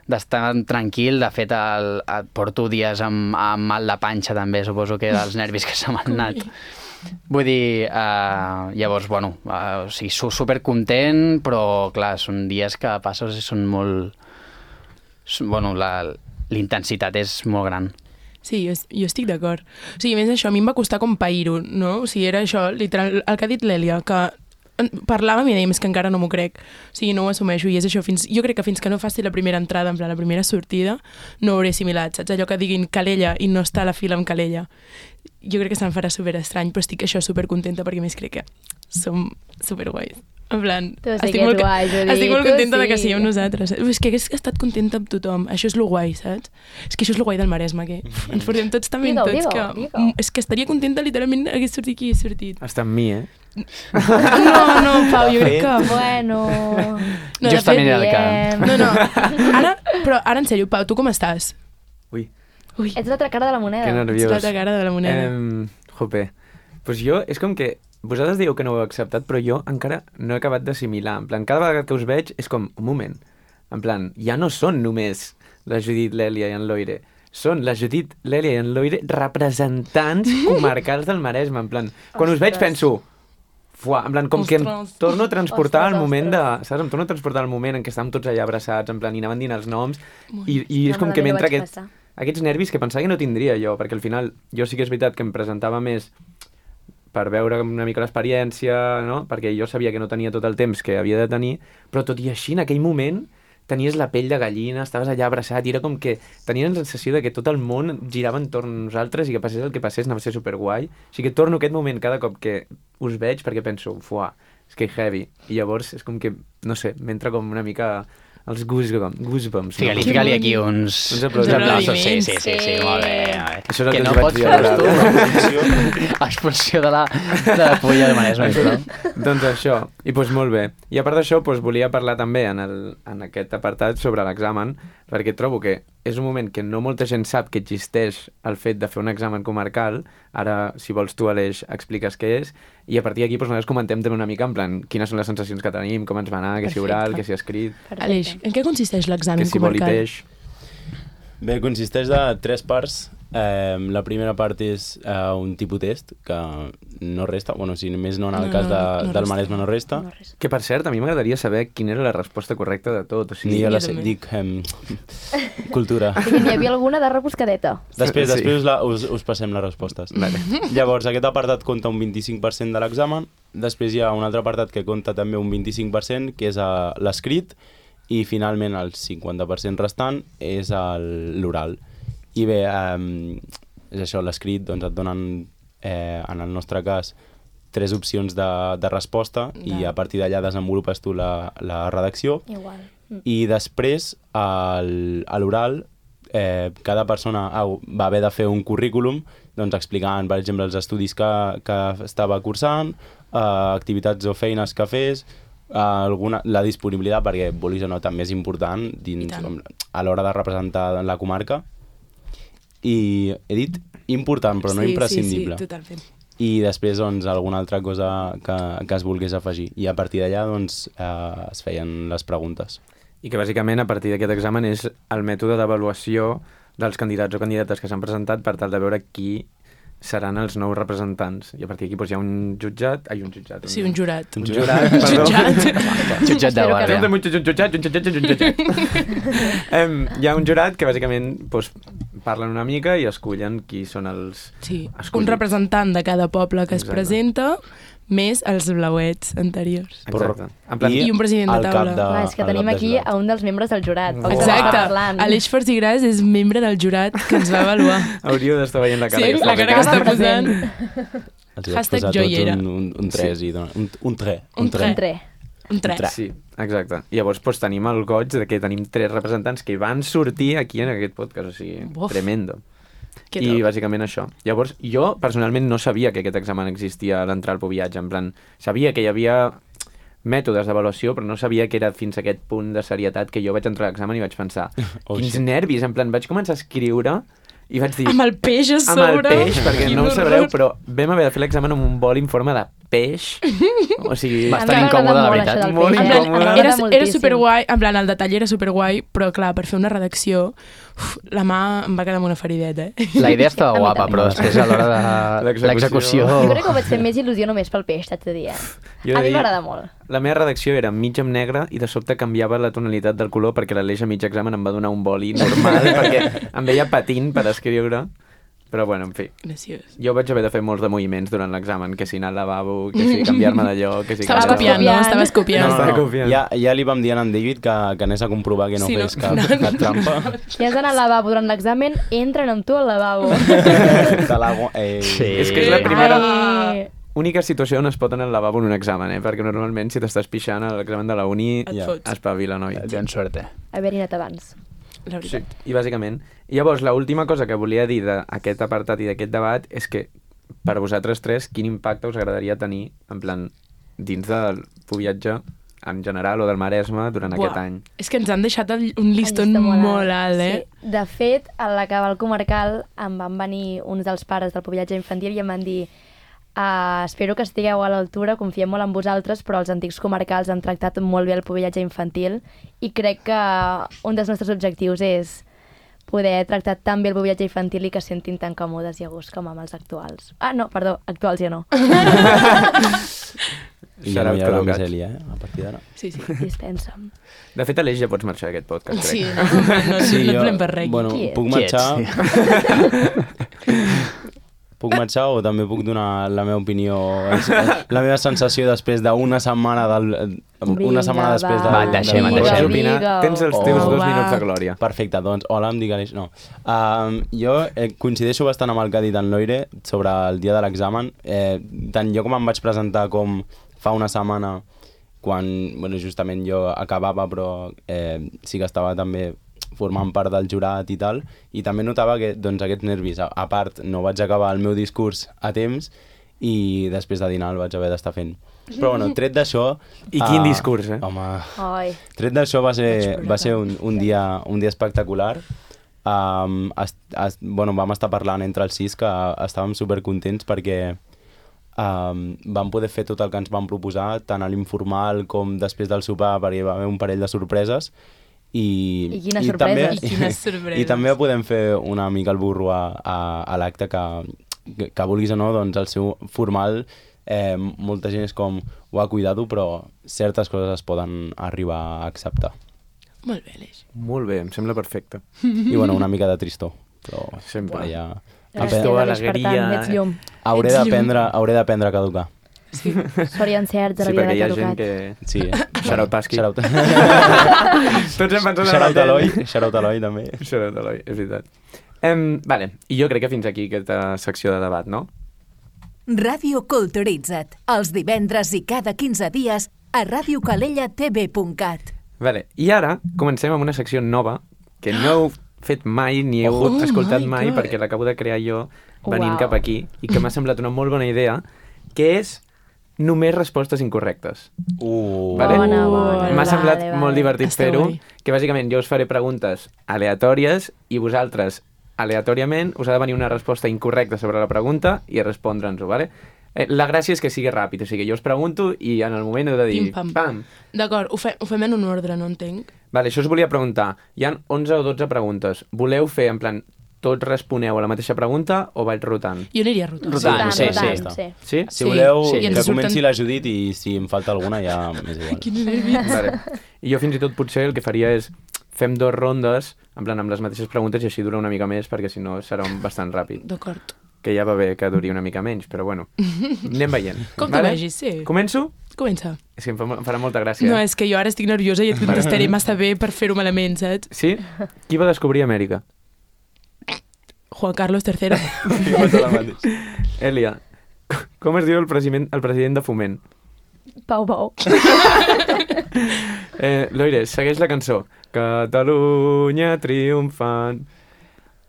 d'estar tranquil, de fet el, el, porto dies amb, amb mal de panxa també, suposo que dels nervis que se m'han anat. Vull dir, uh, llavors, bueno, uh, o sigui, su- supercontent, però clar, són dies que passes i són molt... són- Bueno, la- l'intensitat és molt gran. Sí, jo, jo estic d'acord. O sigui, a més això, a mi em va costar com pair-ho, no? O sigui, era això, literal, el que ha dit l'Èlia, que en- parlàvem i dèiem, és que encara no m'ho crec. O sigui, no ho assumeixo, i és això, fins, jo crec que fins que no faci la primera entrada, en plan, la primera sortida, no ho hauré assimilat, saps? Allò que diguin Calella i no està a la fila amb Calella. Jo crec que se'm farà super estrany, però estic això supercontenta perquè a més crec que som superguais. En plan, Tu sí estic que ets molt, guai, Judit, estic molt tu contenta de que sí. siguem nosaltres. És que hagués estat contenta amb tothom. Això és lo guai, saps? És que això és lo guai del Maresme, que uf, ens portem tots també Digue-ho, tots. digue-ho, que, digue-ho. mm, és que estaria contenta, literalment, hagués sortit qui hagués sortit. Està amb mi, eh? No, no, Pau, jo crec que... Bueno... No, de Justament fet, era el que... diem. No, no. Ara, però ara, en sèrio, Pau, tu com estàs? Ui, Ui, Ets l'altra cara de la moneda. que ets nerviós. l'altra cara de la moneda. Um, jope. Pues jo, és com que vosaltres dieu que no ho heu acceptat, però jo encara no he acabat d'assimilar. En plan, cada vegada que us veig és com, un moment, en plan, ja no són només la Judit, l'Èlia i en Loire, són la Judit, l'Èlia i en Loire representants comarcals del Maresme, en plan, quan us veig Ostres. penso, fuà, en plan, com que em Ostres. torno a transportar Ostres, al moment de, ostres. saps, em torno a transportar al moment en què estàvem tots allà abraçats, en plan, i anaven dient els noms, i, i és No, com que malament ho m'entra vaig aquest, passar. aquests nervis que pensava que no tindria jo, perquè al final jo sí que és veritat que em presentava més per veure una mica l'experiència, no? Perquè jo sabia que no tenia tot el temps que havia de tenir, però tot i així, en aquell moment, tenies la pell de gallina, estaves allà abraçat, i era com que tenies la sensació de que tot el món girava entorn a nosaltres i que passés el que passés anava a ser superguai. O sigui que torno a aquest moment cada cop que us veig perquè penso, fuà, és que heavy. I llavors és com que, no sé, m'entra com una mica els goosebumps. goosebumps Fica-li, no? fica-li aquí uns... Uns aplausos. uns aplausos. Sí, sí, sí, sí, Sí. molt bé. Molt bé. Això és el que que no us vaig pots dir fer ara. tu. Expulsió de la, de la polla de Maresme. Però... Doncs això, i doncs molt bé. I a part d'això, doncs volia parlar també en, el, en aquest apartat sobre l'examen, perquè trobo que és un moment que no molta gent sap que existeix el fet de fer un examen comarcal. Ara, si vols tu, Aleix, expliques què és, i a partir d'aquí doncs, nosaltres comentem també una mica en plan quines són les sensacions que tenim, com ens va anar, que si oral, que si escrit, Perfecte. Aleix, en què consisteix que l'examen si vol i comarcal? peix. Bé, consisteix de tres parts. Eh, la primera part és eh, un tipus test que no resta, bueno, si només no en el No, cas de, no, no del resta. Maresme no resta. No, res. Que, per cert, a mi m'agradaria saber quina era la resposta correcta de tot. O Ni sigui, jo la jo sé, també. dic eh, cultura. Sí que n'hi havia alguna de rebuscadeta. Després, Sí. després us, la, us, us passem les respostes. Vale. Llavors, aquest apartat compta un vint-i-cinc per cent de l'examen, després hi ha un altre apartat que compta també un vint-i-cinc per cent, que és uh, l'escrit, i finalment el cinquanta per cent restant és el- l'oral. I bé, um, és això, l'escrit, doncs et donen, eh, en el nostre cas, tres opcions de, de resposta i a partir d'allà desenvolupes tu la, la redacció. Igual. Mm. I després, al- a l'oral, eh, cada persona ha, va haver de fer un currículum doncs, explicant, per exemple, els estudis que, que estava cursant, eh, activitats o feines que fes, eh, alguna, la disponibilitat, perquè, vulguis o no, també és important dins, tant. com, a l'hora de representar la comarca. I he dit important, però no sí, imprescindible. Sí, sí, totalment. I després, doncs, alguna altra cosa que, que es volgués afegir. I a partir d'allà, doncs, eh, es feien les preguntes. I que bàsicament a partir d'aquest examen és el mètode d'avaluació dels candidats o candidates que s'han presentat per tal de veure qui seran els nous representants. I a partir d'aquí doncs, hi ha un jutjat... Ai, un jutjat. Sí, un jurat. Un jurat, perdó. Jutjat. Jutjat de Espero que guàrdia. Un jutjat, un jutjat, un jutjat, un jutjat. Em, hi ha un jurat que bàsicament doncs, parlen una mica i escullen qui són els... Sí, escollits. un representant de cada poble que es Exacte. presenta, més els blauets anteriors. Exacte. En plan, I un president de al cap taula. Clar, és que al tenim cap de aquí jurat. a un dels membres del jurat. Oh. el que Exacte. estava parlant. Aleix Farcigras és membre del jurat que ens va avaluar. hauríeu d'estar veient la cara Sí, que la està cara que ficant. està posant. Els hi vaig Hashtag posar jo tots hi era. un, un, un tres i dona, un, un tre. Un tre. Entre. Un tres. Sí, exacte. I llavors doncs, tenim el goig de que tenim tres representants que van sortir aquí en aquest podcast, o sigui, Uf. tremendo. Que I top. bàsicament això. Llavors, jo personalment no sabia que aquest examen existia a l'entrar al Pubillatge, en plan, sabia que hi havia mètodes d'avaluació, però no sabia que era fins a aquest punt de serietat que jo vaig entrar a l'examen i vaig pensar, Oh, quins shit. nervis, en plan, vaig començar a escriure i vaig dir... Amb el peix a amb el sobre. peix, perquè Quin no ho horror. sabreu, però vam haver de fer l'examen amb un bol en forma de peix. O sigui... Bastant A mi m'agrada incòmode, la molt veritat. això del Molt peix. En plan, incòmode. M'agrada era, era moltíssim. superguai, en plan, el detall era superguai, però clar, per fer una redacció, uf, la mà em va quedar amb una ferideta, eh? La idea estava A mi guapa, també. però després a l'hora de L'execució. l'execució... Jo crec que ho vaig fer més il·lusió només pel peix, t'haig de dir. Eh? Jo he A de mi dir- m'agrada molt. La meva redacció era mig en negre i de sobte canviava la tonalitat del color perquè l'Aleix a mig examen em va donar un boli normal perquè em veia patint per escriure. Però bueno, en fi. Graciós. Jo vaig haver de fer molts de moviments durant l'examen, que si anar al lavabo, que si canviar-me de lloc, que si... Estaves Estaves copiant, no? copiant. Estaves copiant. No, No, Estava no, no. confiant. Ja, ja li vam dir a en David que, que anés a comprovar que no Sí, no? fes cap, No. cap trampa. Si has d'anar al lavabo durant l'examen, entren amb tu al lavabo. De l'aigua... Eh, Sí. És que és la primera... Ai, Única situació on es pot anar al lavabo en un examen, eh? Perquè normalment si t'estàs pixant a l'examen de la uni, Et Ja. fots. espavila, noi. Tens suerte. haver-hi anat abans. La Sí, veritat. i bàsicament. I llavors, l'última cosa que volia dir d'aquest apartat i d'aquest debat és que, per vosaltres tres, quin impacte us agradaria tenir, en plan, dins del Pubillatge en general o del Maresme durant Buah, aquest any? És que ens han deixat el, un listón Llista molt alt, eh? Sí. De fet, a l'acabar el comarcal em van venir uns dels pares del Pubillatge infantil i em van dir Uh, espero que estigueu a l'altura, confiem molt en vosaltres, però els antics comarcals han tractat molt bé el Pubillatge infantil i crec que un dels nostres objectius és poder tractar tan bé el Pubillatge infantil i que es sentin tan còmodes i a gust com amb els actuals. Ah, no, perdó, actuals ja no. I ja no hi haurà Shout-out més Col·locats. Eli, eh? A partir d'ara. Sí, sí. Dispensa'm. De fet, Aleix, ja pots marxar d'aquest podcast, crec. Sí, no, no, sí, no volem per res. Bueno, Qui ets? puc Qui ets? marxar... Puc marxar o també puc donar la meva opinió, la meva sensació després d'una setmana del... Una setmana Vinga, després de... Va, deixem, del- deixem. Pots Deixem. opinar. Digue-ho. Tens els Oh, teus dos va. minuts de glòria. Perfecte, doncs, hola, em dic Aleix. No. Um, jo eh, coincideixo bastant amb el que ha dit en Loire sobre el dia de l'examen. Eh, tant jo com em vaig presentar com fa una setmana, quan bueno, justament jo acabava, però eh, sí que estava també formant part del jurat i tal, i també notava que doncs, aquests nervis, a, a part, no vaig acabar el meu discurs a temps i després de dinar el vaig haver d'estar fent. Però bueno, tret d'això... I quin ah, discurs, eh? Home, Ai, tret d'això va ser, plorar. va ser un, un, dia, un dia espectacular. Um, es, es, bueno, vam estar parlant entre els sis que estàvem supercontents perquè um, vam poder fer tot el que ens vam proposar, tant a l'informal com després del sopar, perquè hi va haver un parell de sorpreses. I, I quina i sorpresa. També, I quines sorpreses. I també podem fer una mica el burro a, a, a l'acte que, que, que vulguis o no, doncs el seu formal, eh, molta gent és com, uah, cuidado, però certes coses es poden arribar a acceptar. Molt bé, Aleix. Molt bé, em sembla perfecte. I bueno, una mica de tristor, però Sempre. ja... Gràcies, Tristor, Aleix, per tant, alegria. ets llum. Hauré Ets d'aprendre hauré d'aprendre a caducar. Sort i encerts de Sí, la vida perquè de hi ha gent caducat. que... Sí. Shout-out Pasqui. Shout-out. Tots hem pensat en Shout-out el Eloi. mateix. Shout-out Eloi, també. Shout-out Eloi, és veritat. Um, vale, i jo crec que fins aquí aquesta secció de debat, no? Ràdio Culturitza't, els divendres i cada quinze dies a radio calella t v punt cat. Vale, i ara comencem amb una secció nova que no heu fet mai ni heu Oh escoltat my mai God. perquè l'acabo de crear jo venint Uau. cap aquí i que m'ha semblat una molt bona idea, que és només respostes incorrectes. Uh. Vale? Bona, bona. M'ha semblat Vale, molt vale. divertit Està fer-ho, guai. que bàsicament jo us faré preguntes aleatòries i vosaltres, aleatòriament, us ha de venir una resposta incorrecta sobre la pregunta i respondre'ns-ho, vale? Eh, La gràcia és que sigui ràpid, o sigui, jo us pregunto i en el moment heu de dir... Pim-pam. Pam! D'acord, ho, fe, ho fem en un ordre, no entenc. Vale, això us volia preguntar. Hi ha onze o dotze preguntes. Voleu fer, en plan, tots responeu a la mateixa pregunta o vaig rotant? Jo aniria rotant. Rotant. Rotant, sí, rotant, sí. sí. Sí? Si Sí, voleu, sí. I ens que surten- comenci la Judit i si em falta alguna ja m'és igual. Quin nervis. Vale. I jo fins i tot potser el que faria és fem dues rondes, en plan amb les mateixes preguntes i així dura una mica més perquè si no serà un bastant ràpid. D'acord. Que ja va bé que duri una mica menys, però bueno, anem veient. Com tu vegis, sí. Començo? Comença. És que em fa, em farà molta gràcia. No, és que jo ara estic nerviosa i et contestaré massa bé per fer-ho malament, saps? Sí? Qui va descobrir Amèrica? Juan Carlos tercero. Elia, com es diu el president, el president de Foment? Pau, Pau. Eh, Loire, segueix la cançó. Catalunya triomfant.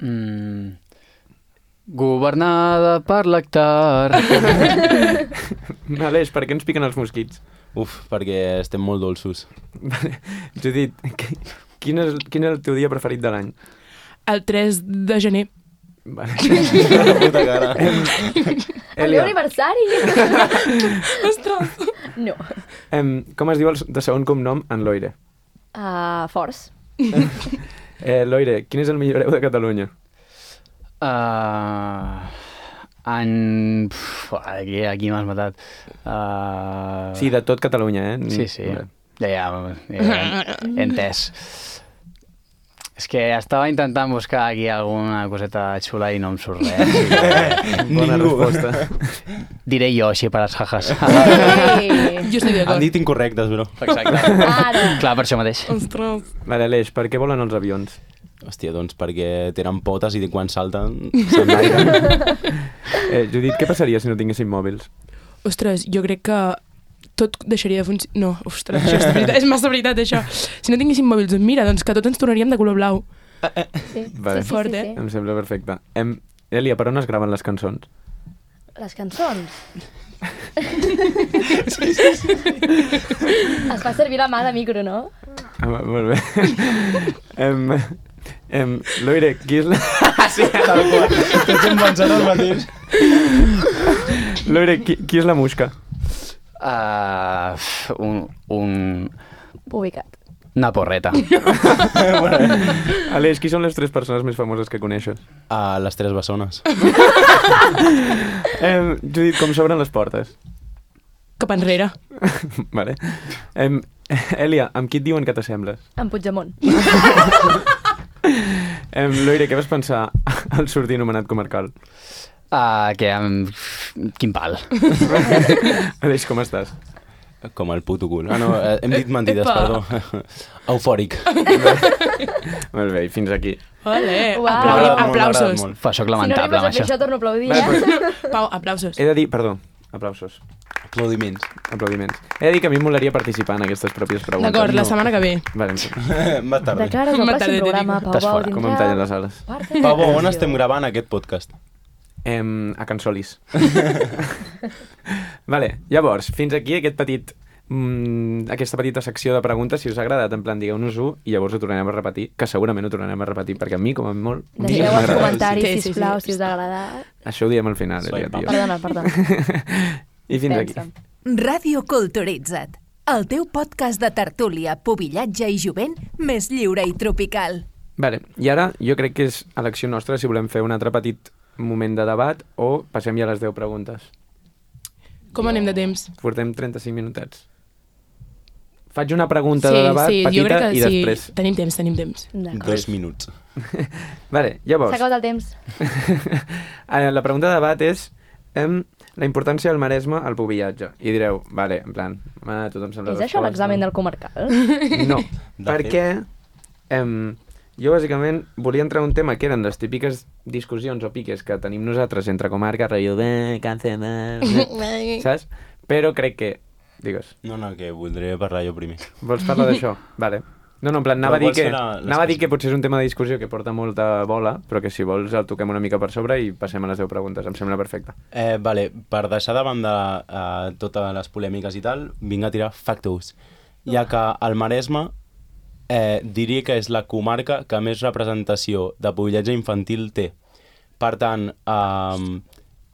Mm. Governada per l'hectar. Aleix, per què ens piquen els mosquits? Uf, perquè estem molt dolços. Judit, qui- quin és, quin és el teu dia preferit de l'any? El tres de gener. Vale. La puta cara. El meu aniversari! Ostres! No. Em, com es diu el de segon cognom en Loire? Uh, forts. Eh, Loire, quin és el millor hereu de Catalunya? Uh, en... Pff, aquí aquí m'has matat. Uh, Sí, de tot Catalunya, eh? Sí, sí. Vale. Ja, ja, ja, he entès. És que estava intentant buscar aquí alguna coseta xula i no em surt res. Bona Ningú. resposta. Diré jo, així per les jajas. Ei. Jo estic Han d'acord. dit incorrectes, bro. Exacte. Ara. Clar, per això mateix. Ostres. Vale, Aleix, per què volen els avions? Hòstia, doncs perquè tenen potes i quan salten s'enlairen. Eh, Judit, què passaria si no tinguéssim mòbils? Ostres, jo crec que tot deixaria de funcionar... No, ostres, això és, veritat, és massa veritat, això. Si no tinguéssim mòbils, doncs mira, doncs que tots ens tornaríem de color blau. Sí, Vale. sí, sí, Fort, sí, eh? sí. Em sembla perfecte. Em... Elia, per on es graven les cançons? Les cançons. sí, sí, sí. Es fa servir la mà de micro, no? Ah, va- molt bé. em... Em... Loire, qui és la... sí, Tal qual. Tots hem pensat el mateix. Loire, qui, qui és la musca? Uh, un, un... Ubicat. Una porreta. Aleix, qui són les tres persones més famoses que coneixes? A les tres bessones. Em... Judit, com s'obren les portes? Cap enrere. Vale. Em... Elia, amb qui et diuen que t'assembles? En Puigdemont. Em... Loire, què vas pensar al sortir nomenat comarcal? Uh, que um, quin pal. Aleix, com estàs? Com el puto cul. Ah, no, eh, hem dit mentides, Epa. perdó. Eufòric. Molt bé, i fins aquí. Ole, Uau. M'ha aplau agradat molt, m'ha aplausos. agradat molt. Fa, soc Si no lamentable arribes a amb fer això. això, torno a aplaudir, Va, eh? Pau, aplausos. He de dir, perdó, aplausos, Aplaudiments. aplaudiments. He de dir que a mi em molaria participar en aquestes pròpies preguntes. D'acord, la No. setmana que ve. Vale, Más De tarda. cara al Más pròxim tarde te programa, digo. Pau Estàs Bau fora. tindrà... com em tallen les ales. Pau, on estem gravant aquest podcast? Em, a Can Solis. Vale, llavors, fins aquí aquest petit mm, aquesta petita secció de preguntes. Si us ha agradat, en plan, digueu-nos-ho i llavors ho tornarem a repetir, que segurament ho tornarem a repetir, perquè a mi, com a molt, Deixeu m'ha els agradat. comentaris, Sí, sí, sí. sisplau, si us ha agradat. Això ho diem al final, Elia, Swipe up. tio. Perdona, perdona. I fins aquí. Pensa. Ràdio Culturitza't. el teu podcast de tertúlia, pubillatge i jovent més lliure i tropical. Vale, i ara jo crec que és elecció nostra si volem fer un altre petit moment de debat o passem ja a les deu preguntes. Com anem de temps? Portem trenta-cinc minutets. Faig una pregunta sí, de debat sí, petita jo crec que i sí. després... Tenim temps, tenim temps. Dos minuts. Vale, llavors... S'ha acabat el temps. La pregunta de debat és em, la importància del Maresme al pubillatge. I direu, vale, en plan, ah, tothom sembla... És això l'examen del comarcal? No, De perquè em, jo bàsicament volia entrar en un tema que eren les típiques discussions o piques que tenim nosaltres entre comarques, rotllo de càncer, de... saps? Però crec que... Digues. No, no, que voldria parlar jo primer. Vols parlar d'això? Vale. No, no, en plan, anava, a dir, vols que, fer la- les anava a dir coses? que potser és un tema de discussió que porta molta bola, però que si vols el toquem una mica per sobre i passem a les deu preguntes. Em sembla perfecte. Eh, vale, per deixar de banda eh, totes les polèmiques i tal, vinc a tirar factos. Ja que el Maresme eh, diria que és la comarca que més representació de pubillatge infantil té. Per tant, eh,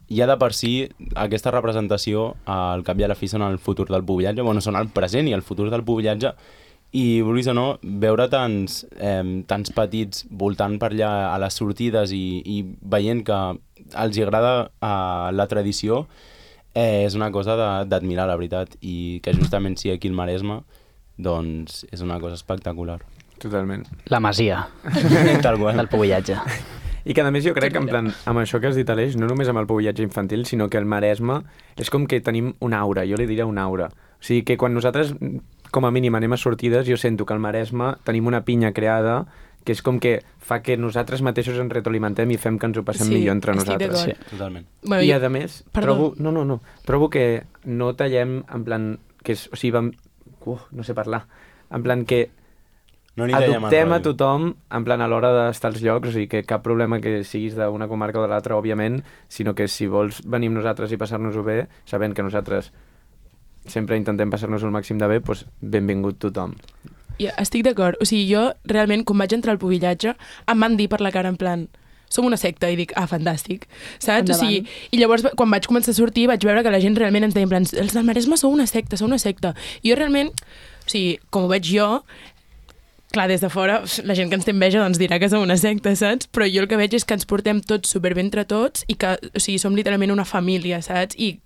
ja de per si aquesta representació, eh, al cap i a la fi, són el futur del pubillatge, bueno, són el present i el futur del pubillatge, i vulguis o no, veure tants, eh, tants petits voltant per allà a les sortides i, i veient que els agrada eh, la tradició, eh, és una cosa de- d'admirar, la veritat, i que justament sigui aquí el Maresme, doncs és una cosa espectacular. Totalment. La masia Tal qual. del pubillatge. I que a més jo crec que en plan, amb això que has dit, Aleix, no només amb el pubillatge infantil, sinó que el Maresme és com que tenim una aura, jo li diria una aura. O sigui que quan nosaltres, com a mínim, anem a sortides, jo sento que al Maresme tenim una pinya creada que és com que fa que nosaltres mateixos ens retroalimentem i fem que ens ho passem Sí, millor entre estic nosaltres. d'acord. Sí. Totalment. Bueno, I jo- a més, Perdó. trobo, no, no, no, trobo que no tallem en plan, que és, o sigui, vam, uh, no sé parlar, en plan que No n'hi dèiem adoptem a ràdio. tothom en plan a l'hora d'estar als llocs, o sigui que cap problema que siguis d'una comarca o de l'altra, òbviament, sinó que si vols venir amb nosaltres i passar-nos-ho bé, sabent que nosaltres sempre intentem passar-nos el màxim de bé, doncs benvingut tothom. Ja, estic d'acord. O sigui, jo realment, quan vaig entrar al pubillatge, em van dir per la cara en plan som una secta, i dic, ah, fantàstic, saps? O sigui, i llavors, quan vaig començar a sortir, vaig veure que la gent realment ens deia en plan, els del Maresme sou una secta, sou una secta. I jo realment, o sigui, com ho veig jo, clar, des de fora, la gent que ens té enveja doncs dirà que som una secta, saps? Però jo el que veig és que ens portem tots superbé entre tots i que, o sigui, som literalment una família, saps? I,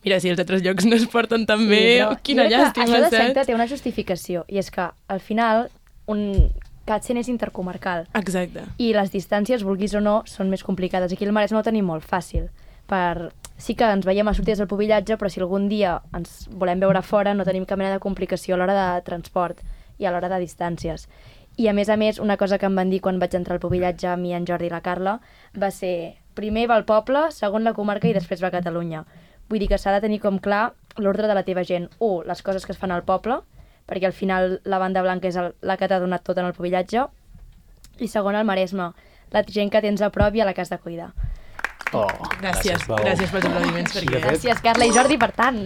mira, si els altres llocs no es porten tan bé, però quina jo crec que llàstima, això de saps? secta té una justificació, i és que, al final, un Càtsen és intercomarcal. Exacte. I les distàncies, vulguis o no, són més complicades. Aquí al Maresme ho tenim molt fàcil. Per... Sí que ens veiem a sortides del pubillatge, però si algun dia ens volem veure fora no tenim cap mena de complicació a l'hora de transport i a l'hora de distàncies. I a més a més, una cosa que em van dir quan vaig entrar al pubillatge, a mi, en Jordi i la Carla, va ser primer va el poble, segon la comarca i després va Catalunya. Vull dir que s'ha de tenir com clar l'ordre de la teva gent. U, les coses que es fan al poble, perquè al final la banda blanca és el, la que t'ha donat tot en el pubillatge, i segon el Maresme, la gent que tens a prop i a la que has de cuidar. Oh. Gràcies, Gràcies, Pau. gràcies pels aplaudiments. Sí, Perquè... de fet. Gràcies, Carla i Jordi, per tant.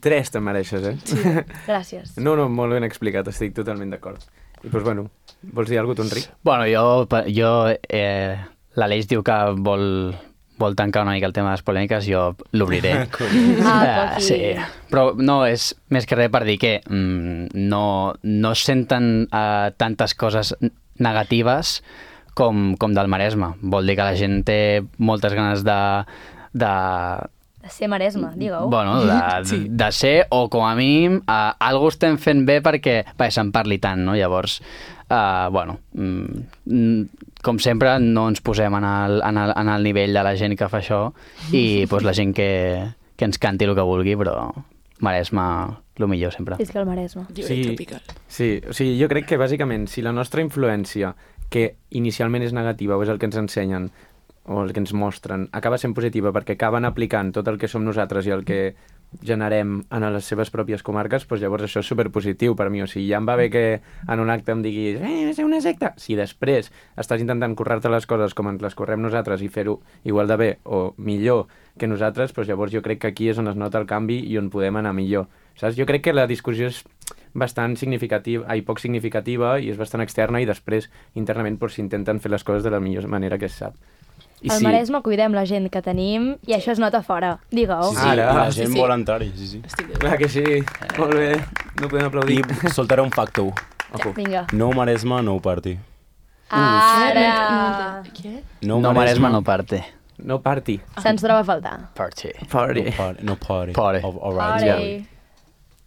Tres te'n mereixes, eh? Sí. Gràcies. No, no, molt ben explicat, estic totalment d'acord. I doncs, bueno, vols dir alguna cosa, tu, Enric? Bueno, jo, jo eh, l'Aleix diu que vol, vol tancar una mica el tema de les polèmiques, jo l'obriré. Ah, Eh, poqui. sí, però no, és més que res per dir que mm, no, no es senten uh, tantes coses negatives com, com del Maresme. Vol dir que la gent té moltes ganes de, de, De ser Maresme, digue-ho. bueno, de, Sí. de ser, o com a mínim, uh, algú estem fent bé perquè, perquè se'n parli tant, no? Llavors, uh, bueno, mm, com sempre, no ens posem en el, en, el, en el nivell de la gent que fa això i pues, la gent que, que ens canti el que vulgui, però Maresme, el millor sempre. És que el Maresme. Lliure tropical. Sí, o sigui, jo crec que bàsicament si la nostra influència, que inicialment és negativa o és el que ens ensenyen o el que ens mostren, acaba sent positiva perquè acaben aplicant tot el que som nosaltres i el que generem en les seves pròpies comarques, doncs llavors això és superpositiu per mi. O sigui, ja em va bé que en un acte em diguis eh, és una secta. Si després estàs intentant currar-te les coses com ens les correm nosaltres i fer-ho igual de bé o millor que nosaltres, doncs llavors jo crec que aquí és on es nota el canvi i on podem anar millor. Saps? Jo crec que la discussió és bastant significativa, ai, poc significativa i és bastant externa i després internament doncs, s'intenten fer les coses de la millor manera que es sap. I Al sí, Maresme cuidem la gent que tenim i això es nota fora. Digue-ho. Sí, sí, Ara, i la sí, gent sí. vol entrar-hi, sí, sí. Estic de... clar que sí. Molt bé, no podem aplaudir. I soltaré un facto. Ojo. Vinga. No Maresme, no party. Ara! Què? No, No Maresme, no parte. No party. Se'ns troba a faltar. Party. Party. No party. No party. Party. Of- all right. Party.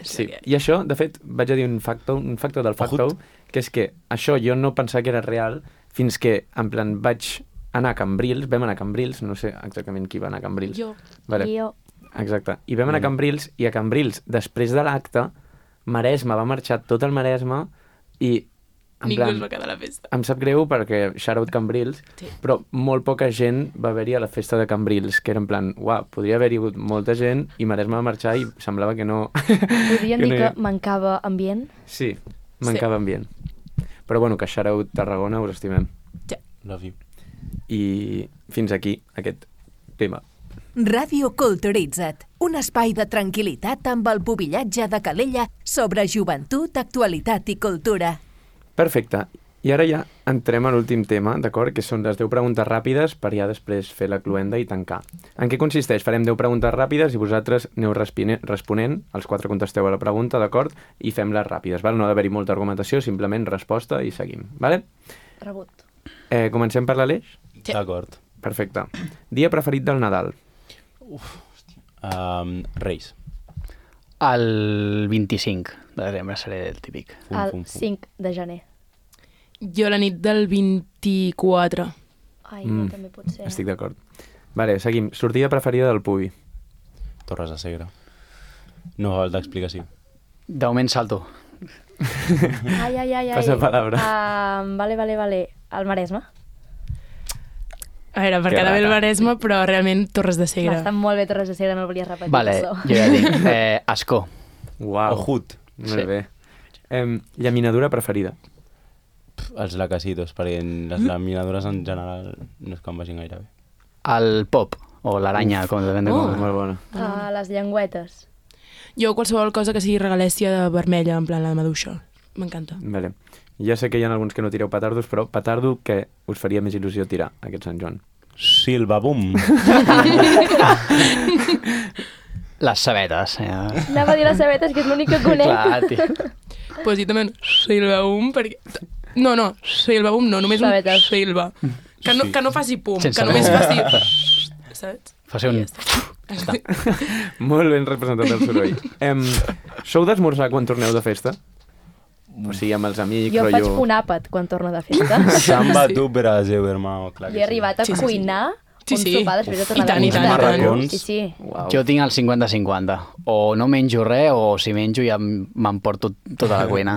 Sí, i això, de fet, vaig a dir un factor, un factor del factor, que és que això jo no pensava que era real fins que, en plan, vaig anar a Cambrils, vam anar a Cambrils, no sé exactament qui va anar a Cambrils. Jo. Vale. Jo. Exacte. I vam anar a Cambrils, i a Cambrils, després de l'acte, Maresme va marxar tot el Maresme i, en Ningú plan, es va quedar a la festa. em sap greu perquè shout-out Cambrils, Sí. però molt poca gent va haver-hi a la festa de Cambrils, que era en plan, uau, podria haver-hi hagut molta gent i Maresme va marxar i semblava que no... Podríem que dir no hi que ha- mancava ambient? Sí, mancava ambient. Però bueno, que shout-out Tarragona, us estimem. Love you. I fins aquí aquest tema. Ràdio Culturitza't, un espai de tranquil·litat amb el pubillatge de Calella sobre joventut, actualitat i cultura. Perfecte. I ara ja entrem a l'últim tema, d'acord? Que són les deu preguntes ràpides per ja després fer la cluenda i tancar. En què consisteix? Farem deu preguntes ràpides i vosaltres aneu respine- responent, els quatre contesteu a la pregunta, d'acord? I fem-les ràpides, val? No ha d'haver-hi molta argumentació, simplement resposta i seguim, vale? Rebut. Eh, comencem per l'Aleix? Sí. D'acord. Perfecte. Dia preferit del Nadal? Um, Reis. El vint-i-cinc de desembre seré el típic. Fum, El fum, fum. cinc de gener. Jo la nit del vint-i-quatre. Ai, Mm, jo també pot ser. Estic d'acord. Vale, seguim. Sortida preferida del Pubi? Torres de Segre. No fa falta explicació. De moment salto. Ai, ai, ai, ai. Passa palabra. Uh, vale, vale, vale. El Maresme. A veure, per Que quedar bé el rata. Maresme, però realment Torres de Segre. Està molt bé Torres de Segre, no el volia repetir. Vale, això. jo ja dic. Eh, Ascó. Uau. Ojut. Molt Sí. bé. Em, llaminadura preferida? Pff, Els lacasitos, perquè les laminadures en general no és que em vagin gaire bé. El pop, o l'aranya, com depèn de Oh. com... Molt bona. Uh, les llengüetes. Jo qualsevol cosa que sigui regalèssia de vermella, en plan la de maduixa. M'encanta. Vale. Ja sé que hi ha alguns que no tireu petardos, però petardo que us faria més il·lusió tirar aquest Sant Joan. Silva, bum! Les sabetes. Eh? Anava a dir les sabetes, que és l'únic que conec. Clar, tio. Pues jo també Silva-um, perquè... No, no, Silva-um no, només un Sabetes. Silva. Que no, que no faci pum, Sense que només res. faci... Saps? Fa ser un... Molt ben representat el soroll. Em, sou d'esmorzar quan torneu de festa? O sigui, amb els amics, Jo faig rotllo... un àpat quan torno de festa. Samba tu Brasil, hermano. Clar Jo que he arribat a Sí, sí, sí. cuinar Sí, un sí. sopar després de tornar I tant, de i festa. tant, i tant. Marracons. Sí, sí. Uau. Jo tinc el cinquanta cinquanta. O no menjo res, o si menjo ja em- m'emporto tota la cuina.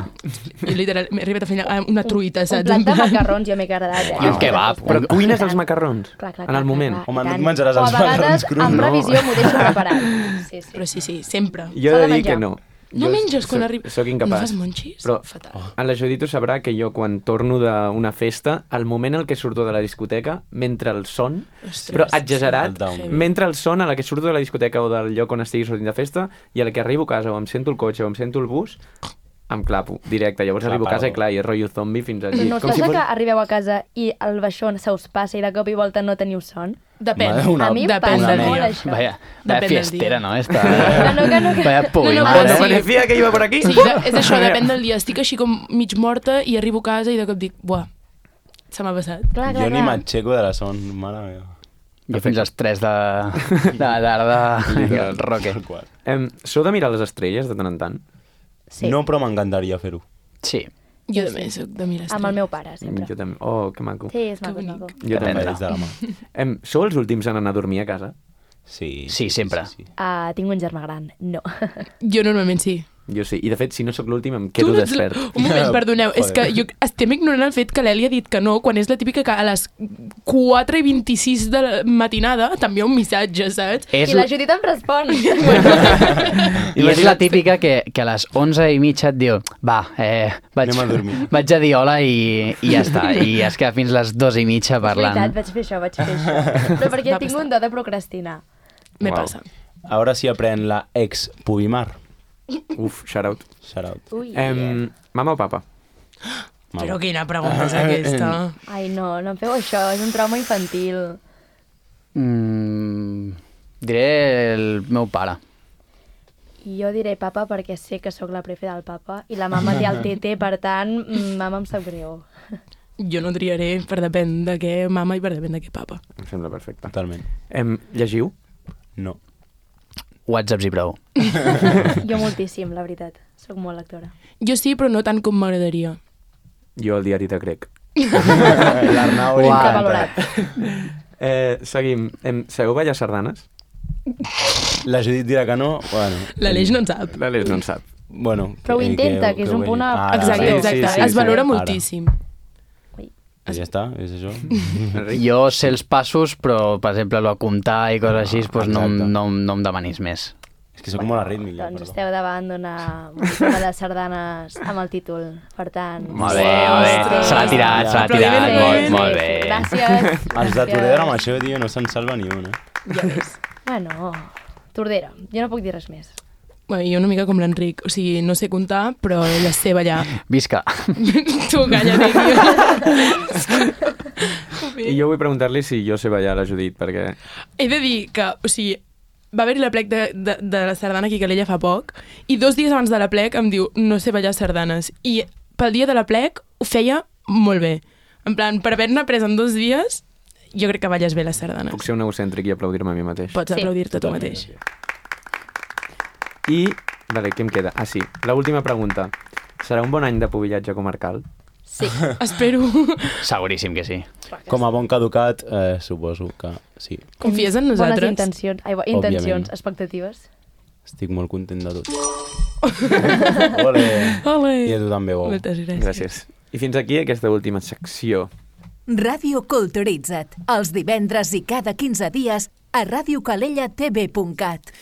Jo literal, m'he arribat a fer una- una truita, Un saps? plat En de plan- macarrons jo m'he agradat. Eh? I un kebab. Però cuines els macarrons? Clar, clar, en clar, el moment? clar, clar, Home, i no et tant. menjaràs O els a vegades, macarrons crus, en no? previsió, m'ho deixo preparat. Sí, sí. Però sí, sí, sempre. Jo S'ha he de de dir menjar. que no. No Jo menges quan soc- arriba... Soc No incapaç. fas monxis? Però Fatal. en la Judit ho sabrà que jo quan torno d'una festa, al moment en què surto de la discoteca, mentre el son, Ostres, però exagerat, El down. mentre el son a la que surto de la discoteca o del lloc on estigui sortint de festa i a la que arribo a casa o em sento el cotxe o em sento el bus, em clapo directe. Llavors Clar, arribo a casa i perdó. clar, i és rotllo zombi fins allí. No us Com si passa fos... que arribeu a casa i el baixón se us passa i de cop i volta no teniu son? Depèn. Mare, una- A mi em Depèn passa del molt dia. això. Vaya, vaya Depèn del fiestera, dia. no? Està... Que no, que no, que- Vaya No, no, pugimada. però No sí. me decía que iba por aquí. Sí, de- és això, depèn del dia. Estic així com mig morta i arribo a casa i de cop dic, buah, se m'ha passat. Clar, clar, Jo ni clar. m'aixeco de la son, mare meva. Jo fins als tres de, de la tarda, Literal. roque. Tal qual. Em, sou de mirar les estrelles de tant en tant? Sí, No, però m'encantaria fer-ho. Sí. Jo també soc de mirar amb el meu pare, sempre. Jo també. Oh, que maco. Sí, és Que maco, és bonic. maco. Jo també. Prendre's de la mà. Em, sou els últims en anar a dormir a casa? Sí, Sí, sempre. Sí, sí. Uh, tinc un germà gran. No. Jo normalment sí. Jo sí. I de fet, si no sóc l'últim, em Tu quedo no ets la- despert. Un moment, perdoneu, és que Joder. jo estem ignorant el fet que l'Eli ha dit que no, quan és la típica que a les quatre i vint-i-sis de la matinada t'envia un missatge, saps? És, I la Judit em respon. I és la típica que, que a les onze i mitja et diu va, eh, vaig, Anem a dormir. vaig a dir hola i, i ja està. I es queda fins les dos i mitja És veritat, parlant. vaig fer això, vaig fer això. Però perquè Va tinc passar. un do de procrastinar. Me Uau. passa. Ara sí aprèn la ex Pubimar. Uf, shout out. Shout out. Ui, Em, mama o papa? Però quina pregunta és aquesta? Ai, no, no em feu això, és un trauma infantil. Mm, diré el meu pare. I jo diré papa perquè sé que sóc la prefe del papa i la mama té el tete, per tant, mm, mama em sap greu. Jo no triaré per depèn de què mama i per depèn de què papa. Em sembla perfecte. Totalment. Em, llegiu? No. Whatsapps i prou. Jo moltíssim, la veritat. Soc molt lectora. Jo sí, però no tant com m'agradaria. Jo el diari de grec. L'Arnau li Uau. encanta. Valorat. Eh, seguim. Em, sabeu ballar sardanes? La Judit dirà que no, bueno... L'Aleix no en sap. L'Aleix no en sap. Bueno, Però ho que- intenta, que és un ho punt a- vegi. Ara, Exacte, sí, exacte. sí, sí, es valora Ara. moltíssim. I ja està, és això. Enric? Jo sé els passos, però, per exemple, el comptar i coses així, doncs no, exacte. no, no em demanis més. És que sóc molt arrítmic. ja, Doncs perdó. esteu davant d'una música de sardanes amb el títol. Per tant... Molt bé, molt bé. Ostres. Se l'ha tirat, se l'ha tirat. Aplaudiment. Molt, molt bé. Gràcies. Els de Tordera amb això, tio, no se'n salva ni un, eh? Ja ves. Bueno, Tordera. Jo no puc dir res més. Bueno, jo una mica com l'Enric. O sigui, no sé comptar, però ja sé ballar. Visca. Tu, calla-te, tio. I jo vull preguntar-li si jo sé ballar a la Judit, perquè... He de dir que, o sigui, va haver-hi la plec de, de, de la sardana aquí a Calella fa poc, i dos dies abans de la plec em diu, no sé ballar sardanes. I pel dia de la plec ho feia molt bé. En plan, per haver-ne après en dos dies, jo crec que balles bé les sardanes. Puc ser un egocèntric i aplaudir-me a mi mateix. Pots Sí. aplaudir-te tu Totalment. mateix. I, vale, què em queda? Ah, sí, l'última pregunta. Serà un bon any de pubillatge comarcal? Sí. Espero. Seguríssim que sí. Com a bon caducat, eh, suposo que sí. Confies en Bones nosaltres? intencions, ai, bo- intencions, Òbviament. expectatives. Estic molt content de tot. Ole! Ole. I a tu també, Bou. Moltes gràcies. Gràcies. I fins aquí aquesta última secció. Ràdio Culturitza't, els divendres i cada quinze dies a radiocalellatv punt cat.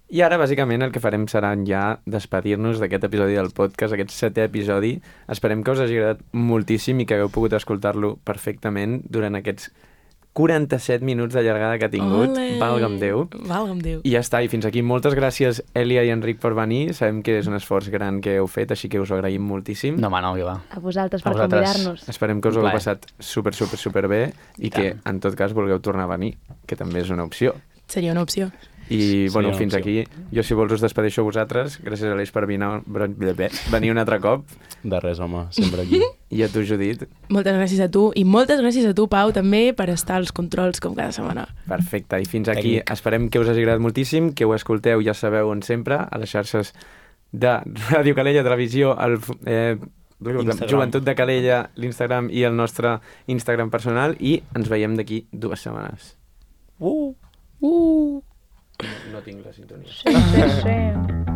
I ara, bàsicament, el que farem serà ja despedir-nos d'aquest episodi del podcast, aquest setè episodi. Esperem que us hagi agradat moltíssim i que hagueu pogut escoltar-lo perfectament durant aquests quaranta-set minuts de llargada que ha tingut. Ole. Valga'm Déu. Valga'm Déu. I ja està, i fins aquí. Moltes gràcies, Èlia i Enric, per venir. Sabem que és un esforç gran que heu fet, així que us ho agraïm moltíssim. No, home, no, que va. A vosaltres A per vosaltres. convidar-nos. Esperem que us ho Un hagueu plaer. passat super, super, super bé i, I que, tant. en tot cas, vulgueu tornar a venir, que també és una opció. Seria una opció. I, bueno, una fins opció. aquí. Jo, si vols, us despedeixo a vosaltres. Gràcies, Aleix, per venir, venir un altre cop. De res, home, sempre aquí. I a tu, Judit. Moltes gràcies a tu i moltes gràcies a tu, Pau, també per estar als controls com cada setmana. Perfecte. I fins aquí. Tècnic. Esperem que us hagi agradat moltíssim, que ho escolteu, ja sabeu on sempre, a les xarxes de Ràdio Calella, Televisió, el, eh, Instagram. Joventut de Calella, l'Instagram i el nostre Instagram personal, i ens veiem d'aquí dues setmanes. Uh! Uh! No tinc la sintonia. Sí, sí, sí.